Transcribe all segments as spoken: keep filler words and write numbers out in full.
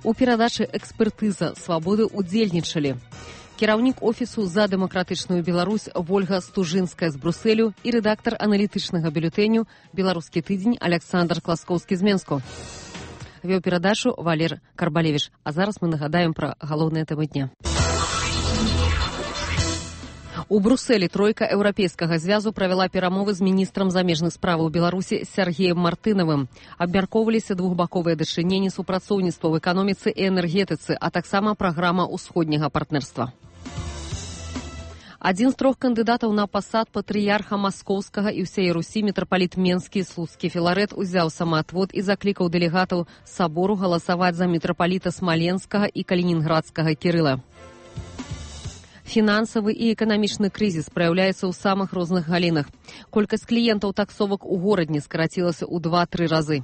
У перадачы «Экспертыза свабоды» удзельнічалі кіраўнік офісу «За дэмакратычную Беларусь» Вольга Стужынская з Брусэлю і рэдактар аналітычнага бюлетэню «Беларускі тыдзень» Александр Класкоўскі з Менску. Вёў перадачу Валер Карбалевіч. А зараз мы нагадаем пра галоўныя тэмы дня. У Брусэлі тройка еўрапейскага звязу правяла перамовы з міністрам замежных справаў Беларусі Сергеем Мартынавым. Абмяркоўваліся двухбаковыя дачыненні супрацоўніцтва ў эканоміцы і энергетыцы, а таксама праграма ўсходняга партнерства. Адзін з трох кандыдатаў на пасад патрыярха маскоўскага і ўсей Русі мітрапаліт Менскі Слуцкі Філарет узяў самаатвод і заклікаў дэлегатаў сабору галасаваць за мітрапаліта Смаленскага і Калінінградскага Кірыла. Фінансавы і эканамічны крызіс праяўляецца ў самых розных галінах. Колькасць кліентаў таксовак у горадні скарацілася ў два-тры разы.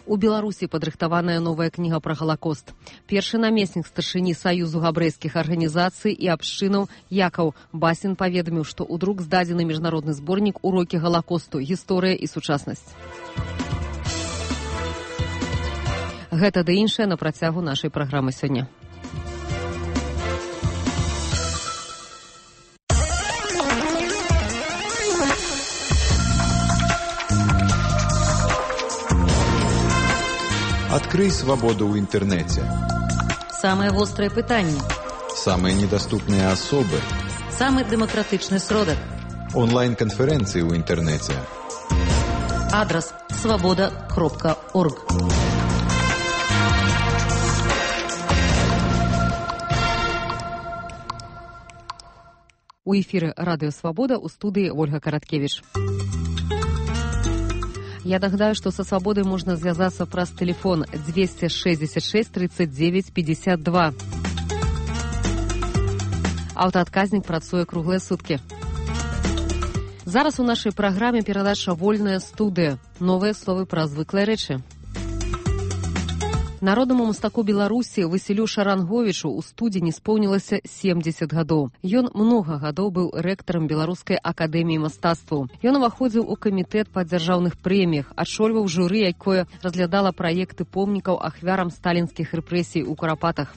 У Беларусі падрыхтаваная новая кніга пра Галакост. Першы намеснік старшыні Саюзу габрэйскіх арганізацый і абшчынаў Якаў Басін паведаміў, што ў друк здадзены міжнародны зборнік «Урокі Галакосту. Гісторыя і сучаснасць». Гэта ды іншае на працягу нашай праграмы сёння. Открой свободу в интернете. Самые острые пытания. Самые недоступные особы. Самый демократичный сродок. Онлайн-конференции в интернете. Адрес свобода кропка орг. У эфіры радыё «Свабода», у студыі Ольга Караткевіч. Я нагадаю, што са «Свабодай» можна звязацца праз тэлефон двести шестьдесят шесть тридцать девять пятьдесят два. Аўтаадказнік працуе круглыя суткі. Зараз у нашай праграме перадача «Вольная студыя». Новыя словы пра звыклыя рэчы. Народнаму мастаку Беларусі Васілю Шаранговічу ў студзені споўнілася семьдесят гадоў. Ён многа гадоў быў рэктарам Беларускай акадэміі мастацтваў. Ён уваходзіў у камітэт па дзяржаўных прэміях, адшольваў журы, якое разглядала праекты помнікаў ахвярам сталінскіх рэпрэсій у Курапатах.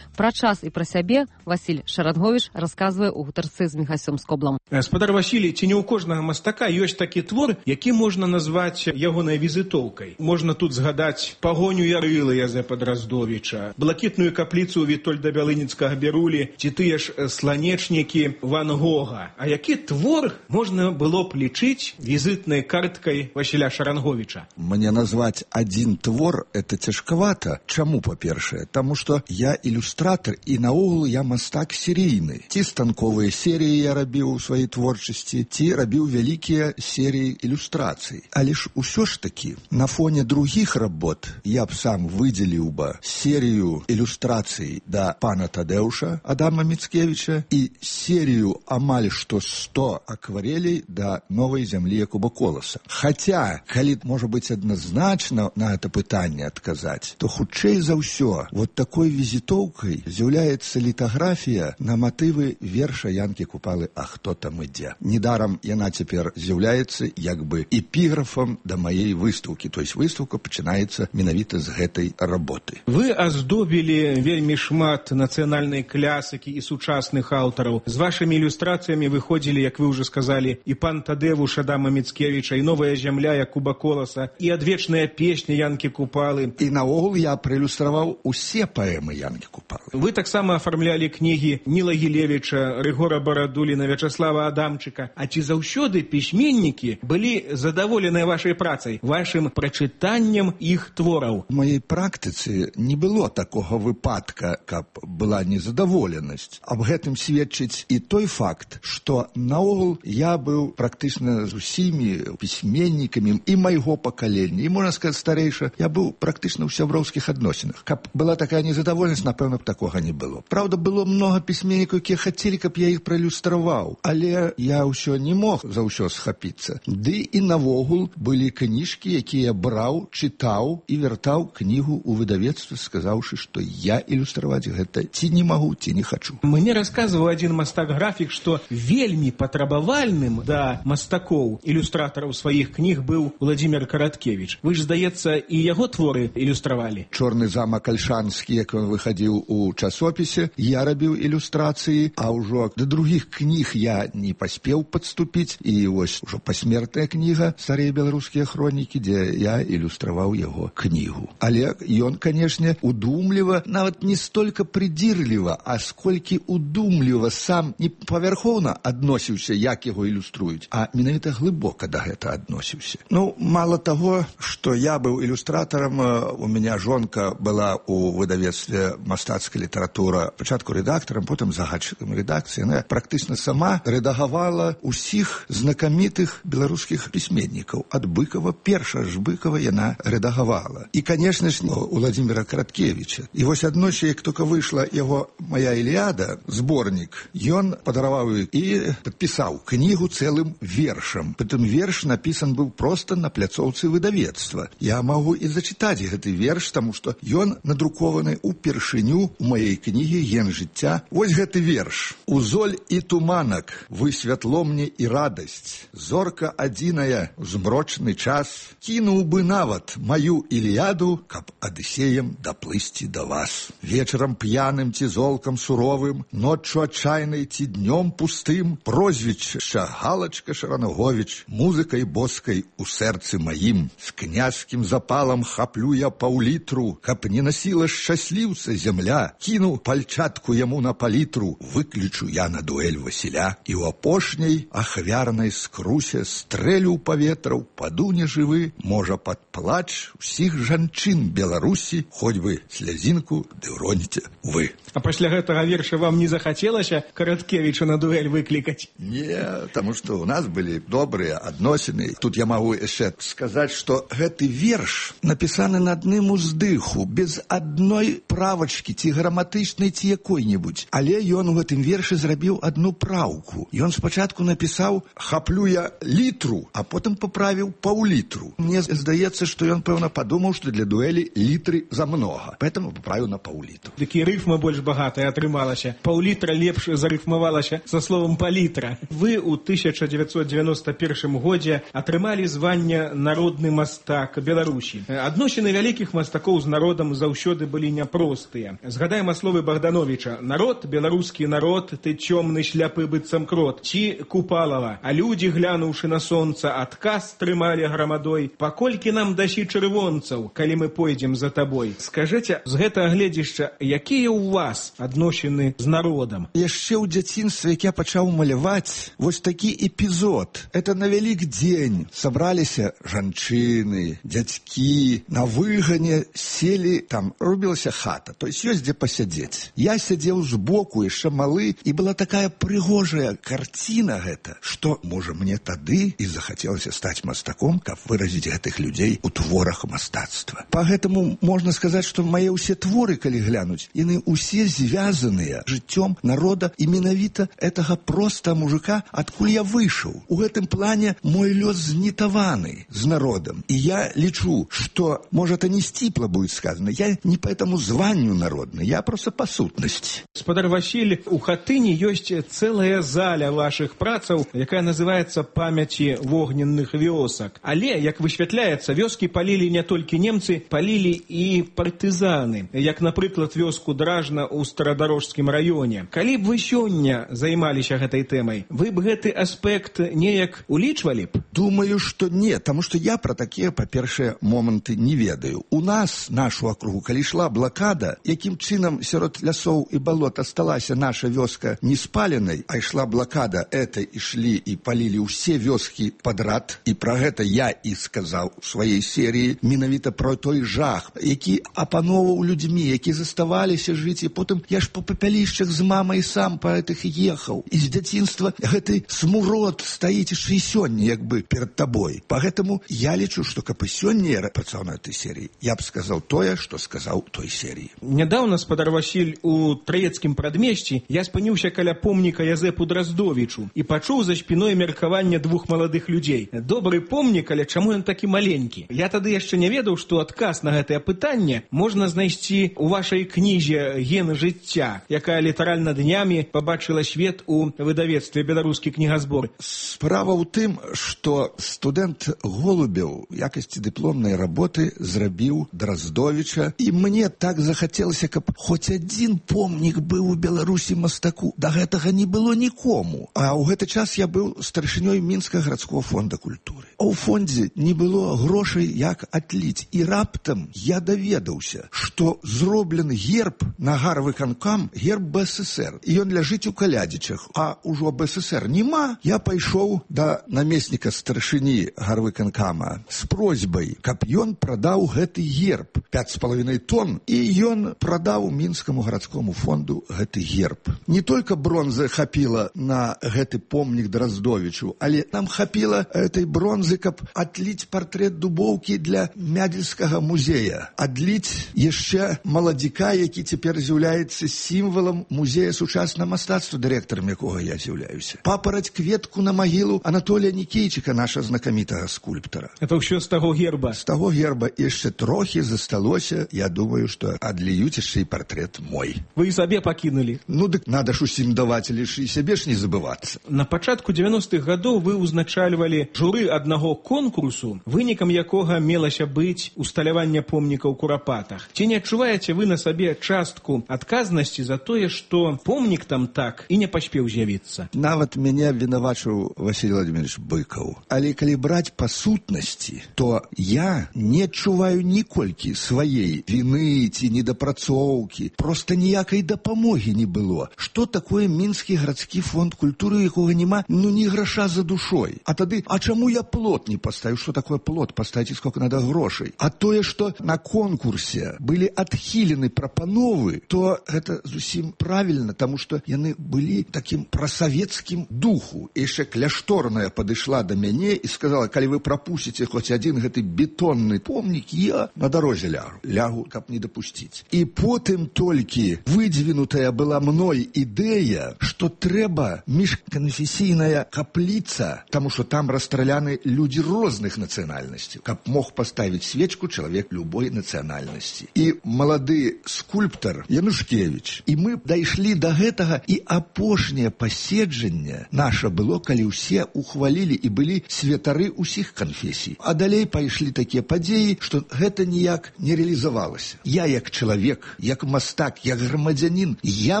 Пра час і пра сябе Васіль Шаранговіч расказвае ў гутарцы з Міхасём Скоблам. Спадар Васілій, ці не ў кожнага мастака ёсць такі твор, які можна назваць ягонай візітоўкай. Можна тут згадаць пагоню Ярылы Язэпа Драздовіча, блакітную капліцу Вітольда Бялыніцкага Берулі, ці тыя ж сланечнікі Ван Гога. А які твор можна было б лічыць візітнай карткай Васіля Шаранговіча? Мне назваць адзін твор это цяжкавата. Чаму, па-першае? Таму што я ілюстратор і наогул я мастак серійны. Ці станковыя серіі я рабіў у сваёй творчасці, ці рабіў вялікія серіі ілюстрацый. Але ж усё ж такі, на фоне другіх работ я б сам выдзеліў бы серію ілюстрацый да пана Тадэуша Адама Міцкевіча і серію амаль што сто акварелей да новай зямлі Якуба Коласа. Хаця, калі можа быць адназначна на гэта пытанне адказаць, то хутчэй за ўсё вот такой візітоўкай з'яўляецца літаграфія на матывы верша Янкі Купалы «А хто там ідзе?». Недарам яна цяпер з'яўляецца як бы эпіграфам да маей выстаўкі, то есть выстаўка пачынаецца менавіта з гэтай работы. Вы аздобілі вельмі шмат нацыянальнай клясыкі і сучасных аўтараў. З вашымі ілюстрацыямі выходзілі, як вы ўжо сказалі, і пан Тадэвуш Адама Міцкевіча, і новая зямля Якуба Коласа, і адвечная песня Янкі Купалы. І наогул я праілюстраваў усе паэмы Янкі Купалы. Вы таксама афармлялі кнігі Ніла Гілевіча, Рыгора Барадуліна, Вячаслава Адамчыка. А ці заўсёды пісьменнікі былі задаволеныя вашай працай, вашым прачытаннем іх твораў? У маёй практыцы не было такога выпадка, каб была незадаволенасць. Аб гэтым сведчыць і той факт, што наогул я быў практычна з усімі пісьменнікамі і майго пакалення, і, можна сказаць, старэйша, я быў практычна ў сяброўскіх адносінах. Каб была такая незадаволенасць, напэўна, б такога не было. Правда, было много пісьменнікаў, якія хацелі, каб я іх праілюстраваў, але я ўсё не мог за ўсё схапіцца. Ды і навогул былі кніжкі, якія браў, чытаў і вяртаў кнігу ў выдавецтва, сказаўшы, што я ілюстраваць гэта ці не магу, ці не хачу. Мне расказваў адзін мастак-графік, што вельмі патрабавальным да мастакоў, ілюстратараў сваіх кніг быў Владзімір Караткевіч. Вы ж, здаецца, і яго творы ілюстравалі. Чорны замак Альшанскі, як ён выхадзіў у часопісе, я рабіў ілюстрацыі, а ўжо да другіх кніг я не паспеў падступіць, і вось ужо пасмертная кніга «Старыя беларускія хронікі», дзе я ілюстраваў яго кнігу. Але ён, канешне, удумліва, нават не столькі прыдзірліва, а сколькі удумліва сам не павярхоўна адносіўся, як яго ілюструюць, а менавіта глыбока да гэта адносіўся. Ну, мало таго, што я быў ілюстратарам, у меня жонка была у выдавецтве «Мастацкая літаратура», пачатку рэдактарам, потым загадчыкам рэдакцыі. Яна практычна сама рэдагавала ўсіх знакамітых беларускіх пісьменнікаў. Ад Быкова, перша ж Быкова яна рэдагавала. І, канешне ж, у Владзіміра Караткевіча. І вось аднойчы, як толькі выйшла яго «Моя Іліада», зборнік, ён падараваў і падпісаў кнігу цэлым вершам. Прытым верш напісан быў проста на пляцоўцы выдавецтва. Я магу і зачытаць гэты верш, таму што ён надрукованы ўпершыню у маёй кнігі «Ген жыцця». Вось гэты верш. «У золь і туманак вы святло мне і радасць. Зорка адзіная ў змрочны час. Кінуў бы нават маю Іліяду, каб Адысеем даплысці да вас. Вечарам п'яным ці золкам суровым, ноччу адчайнай ці днём пустым, прозвішча Галачка Шаранаговіч, музыкай боскай у сэрцы маім. З князькім запалам хаплю я паўлітру, каб не насіла шчасліўца зямля. Кіну пальчатку яму на палітру, выключу я на дуэль Васіля. І ў апошняй ахвярнай скрусе стрэлю ў паветра, упаду нежывы, можа пад плач усіх жанчын Беларусі, хоць бы слязінку ды ўроніце вы». А пасля гэтага верша вам не захацелася Караткевіча на дуэль выклікаць? Не, таму што ў нас былі добрыя адносіны. Тут я магу яшчэ сказаць, што гэты верш напісаны на адным уздыху, без адной правачкі, ці граматычнай, ці якой-небудзь. Але ён у гэтым вершы зрабіў адну праўку. Ён спачатку напісаў «хаплю я літру», а потым паправіў паўлітру. Мне здаецца, што ён, пэўна, падумаў, што для дуэлі літры замнога. Поэтому паправіў на паўлітру. Такі рыфма больш багатая атрымалася. Паўлітра лепш зарыфмавалася са словам палітра. Вы ў тысяча дзевяцьсот дзевяноста першым годзе атрымалі званне «Народны мастак Беларусі». Адносіны вялікіх мастакоў з народам заўсёды былі няпростыя. Згадаем словы Богдановича: «Народ, беларускі народ, ты цёмны шляпы быццам крот». Ці Купалава: «А людзі, глянуўшы на сонца, адказ трымалі грамадой. Паколькі нам дасі чырвонцаў, калі мы пойдзем за табой». Скажыце, з гэтага гледзішча, якія ў вас адносіны з народам? Яшчэ ў дзяцінстве, як я пачаў маляваць, вось такі эпізод. Это на вялік дзень сабраліся жанчыны, дзядзькі, на выгане селі, там рубілася хата, то есть ёсць дзе пасядзець. Я сядзеў збоку, яшчэ малы, і была такая прыгожая карціна гэта, што, можа, мне тады і захацелася стаць мастаком, каб выразіць гэтых людзей у творах мастацтва. Па гэтаму можна сказаць, што мае ўсе творы, калі глянуць, яны ўсе звязаныя жыццём народа і менавіта гэтага проста мужика, адкуль я выйшаў. У гэтым плане мой лёс знітаваны з народам. І я лічу, што, можа, это не сціпла будет сказано, я не по этому званню народны, я просто по сутнасці. Спадар Васіль, у Хатыні ёсць цэлая заля вашых працаў, якая называецца «Памяці вогненных вёсак». Але, як высвятляецца, вёскі палілі не толькі немцы, палілі і партызаны, як, напрыклад, вёску Дражна ў Старадарожскім раёне. Калі б вы сёння займаліся гэтай тэмай, вы б гэты аспект неяк улічвалі б? Думаю, што не, таму што я пра такія, па-першае, моманты не ведаю. У нас, нашу акругу, калі ішла блакада, якім чынам сярод лясоў і балот асталася наша вёска не спаленай, а ішла блакада, это ішлі і палілі ўсе вёскі падрад, і пра гэта я і сказаў у сваёй серыі, менавіта пра той жах, які апаноўваў людзьмі, які заставаліся жыць, і потым я ж по папялішчах з мамай сам па гэтых ехаў. І з дзяцінства гэты смурод стаіць і сёння, як бы, перад табой. Па гэтаму я лічу, што каб і сёння я працаваў на этой серыі, я б сказаў тое, што сказаў той серыі. Нядаўна гаспадар Васіль, у Траецкім прадмесці я спыніўся каля помніка Язэпу Драздовічу і пачуў за спіной меркаванне двух маладых людзей. Добры помнік, але чаму ён такі маленькі? Я тады яшчэ не ведаў, што адказ на гэтае пытанне можна знайсці ў вашай кнізе «Гены жыцця», якая літаральна днямі пабачыла свет у выдавецтве «Беларускі кнігазбор». Справа ў тым, што студэнт Голубеў в якасці дыпломнай работы зрабіў Драздовіча, і мне так захацелася, каб хоць адзін помнік быў у Беларусі мастаку. Да гэтага не было нікому. А ў гэты час я быў старшынёй Мінскага гарадскога фонда культуры. А ў фондзе не было грошай, як адліць. І раптам я даведаўся, што зроблены герб на гарвыканкам, герб Бэ Эс Эс Эр. І ён ляжыць у Калядзічах. А ўжо Бэ Эс Эс Эр нема. Я пайшоў да намесніка старшыні гарвыканкама з просьбай, каб ён прадаў гэты герб. пяць з паловінай тонн. І ён прадаў Мінскаму гарадскому фонду гэты герб. Не толькі бронзы хапіла на гэты помнік Драздовічу, але нам хапіла этой бронзы, каб адліць партрэт Дубоўкі для Мядзельскага музея. Адліць яшчэ маладзіка, які цяпер з'яўляецца сімвалам музея сучаснага мастацтва, дырэктарам якога я з'яўляюся. Папараць кветку на магілу Анатолія Нікейчыка, наша знакамітага скульптара. Это ўсё з таго герба? З таго герба яшчэ трохі засталося. Я думаю, што адліюць яшчэ і партрэт мой. Вы і сабе пакінулі? Ну, дык надо ж усім даваць, але ж і сябе ж не забывацца. На пачатку дзевяностых гадоў вы ўзначальвалі журы аднаго конкурсу, вынікам якога мелася быць усталяванне помніка ў Курапатах. Ці не адчуваеце вы на сабе частку адказнасці за тое, што помнік там так і не паспеў з'явіцца? Нават мяне вінавачыў Васіль Владимирович Быкаў. Але калі браць па сутнасці, то я не адчуваю ніколькі сваей віны ці недапрацоўкі. Проста ніякай дапамогі не было. Што такое Мінскі гарадскі фонд культуры, якога няма, ну, ні граша за душой. А тады, а чаму я плот не паставіў? Што такое плот? Паставіце, сколько надо грошай. А тое, што на конкурсе былі адхілены прапановы, то гэта зусім правільна, таму што яны былі такім прасавецкім духу. І яшчэ кляшторная падышла да мяне і сказала, калі вы прапусціце хоць адзін гэты бетонны помнік, я на дарозе лягу. Лягу, каб не дапусціць. І потым толькі выдвинутая была мной ідэя, што трэба міжканфесійная капліца, таму што там расстраляны людзі розных нацыянальнасцей, каб мог паставіць свечку чалавек любой нацыянальнасці. І малады скульптар Янушкевіч. І мы дайшлі да гэтага, і апошняе паседжанне наша было, калі ўсе ухвалілі і былі святары ўсіх канфесій. А далей пайшлі такія падзеі, што гэта ніяк не реалізавалася. Я як чалавек, як мастак, як грамадзянін, я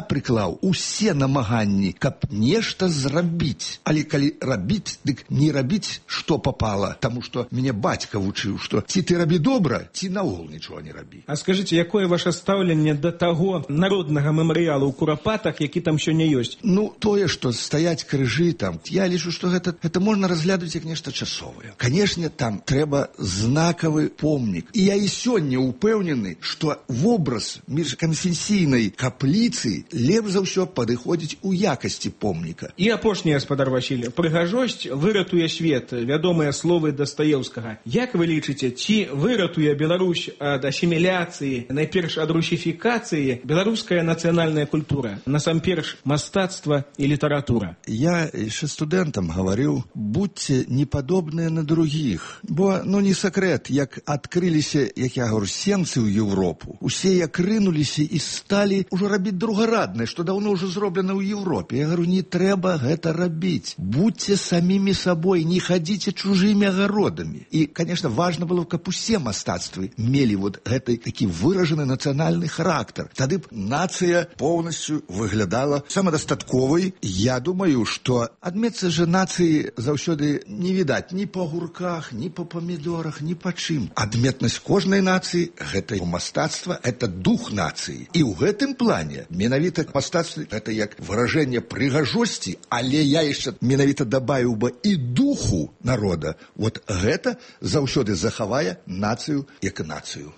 прыклаў усе намаганні, каб нешта зрабіць. Але калі рабіць, дык не рабіць, што попало, таму што мяне бацька вучыў, што ці ты рабі добра, ці наогул нічого не рабі. А скажыце, якое ваше стаўленне да таго народнага мемарыялу ў Курапатах, які там сёння ёсць? Ну, тое, што стаяць крыжы там, я лічу, што гэта, гэта можна разглядаць як нешта часовае. Канешне, там трэба знакавы помнік. І я і сёння упэўнены, што вобраз міжканфесійнай капліцы лепш за ўсё падыходзіць у якасці помніка. І апошні, гаспадар Васіль, прыгажосць выратуе свет, вядомыя словы Дастаеўскага. Як вы лічыце, ці выратуе Беларусь ад асіміляцыі, найперш ад русіфікацыі, беларуская нацыянальная культура, насамперш мастацтва і літаратура? Я яшчэ студэнтам гаварыў, будьце не падобныя на другіх. Бо, ну, не сакрэт, як адкрыліся, як я говорю, сенцы ў Европу. Усе як рынуліся і сталі ўжо рабіць другараднае, што даўно ўжо зроблена ў Европе. Я говорю, не трэба гэта рабіць. Будьце самімі сабой, не хадзіце чужымі агародамі. І, конечно, важна было, каб усе мастацтвы мелі вот гэты такі выражаны нацыянальны характар. Тады б нацыя поўнасцю выглядала самадастатковай. Я думаю, што адметцы же нацыі заўсёды не відаць ні па гурках, ні па памідорах, ні па чым. Адметнасць кожнай нацыі — гэта мастацтва, это дух нацыі. І ў гэтым плане менавіта мастацтва — гэта як выражэнне прыгажосці, але я яшчэ менавіта дабавіў бы і духу народа. Вот гэта заўсёды захавае нацыю як нацыю.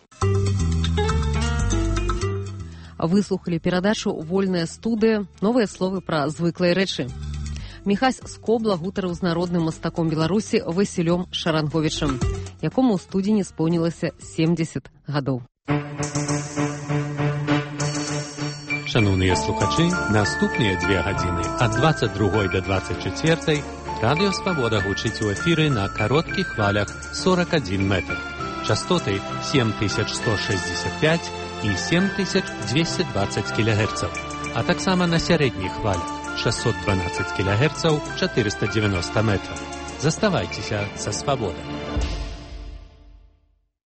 Выслухалі перадачу «Вольная студыя. Новыя словы пра звыклыя рэчы». Міхась Скобла гутарыў з народным мастаком Беларусі Васілём Шаранговічам, якому ў студзені споўнілася семдзесят гадоў. Шановныя слухачы, наступныя две гадзіны ад дваццаць другой да дваццаць чацвёртай Радыё Свабода гучыць у эфіры на кароткіх хвалях сорок адзін метр. Частоты сем тысяч сто шестьдесят пять і сем тысяч двести двадцать кілогерцаў, а таксама на сярэдніх хвалях шестьсот двенадцать кілогерцаў, четыреста девяносто метров. Заставайцеся са Свабодай.